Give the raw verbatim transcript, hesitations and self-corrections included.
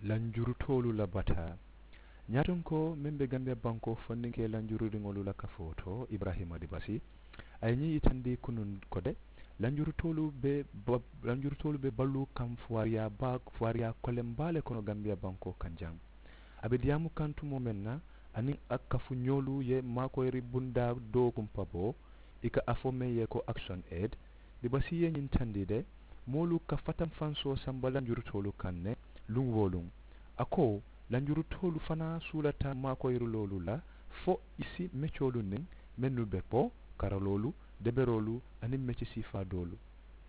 Lanjurutoolu la bataa. Ñaatonkoo meŋ be gambiya bankoo fondinkee lanjururiŋolu la kafoo to, ibrahima dibasi, a ye ñiŋ yitandi kunuŋ ko de, lanjurutoolu be lanjurutoolu be baluu kaŋ fuwaariyaa baa fuwaariyaa koleŋ baa le kono gambiya bankoo kaŋ jaŋ. A be diyaamu kaŋ tumoo meŋ na, aniŋ a kafu ñoolu ye maakoyiri bundaa doo kumpa bo, i ka a fo meŋ ye ko akisoni ed. Dibasi ye ñiŋ tandi de, moolu ka fatanfansoo samba lanjurutoolu kaŋ ne luŋ wo luŋ. A ko, lanjurutoolu fanaa suulata maakoyiriloolu la fo i si mecoolu niŋ mennu be kpo, karaloolu, deberoolu, aniŋ meci siifaa doolu.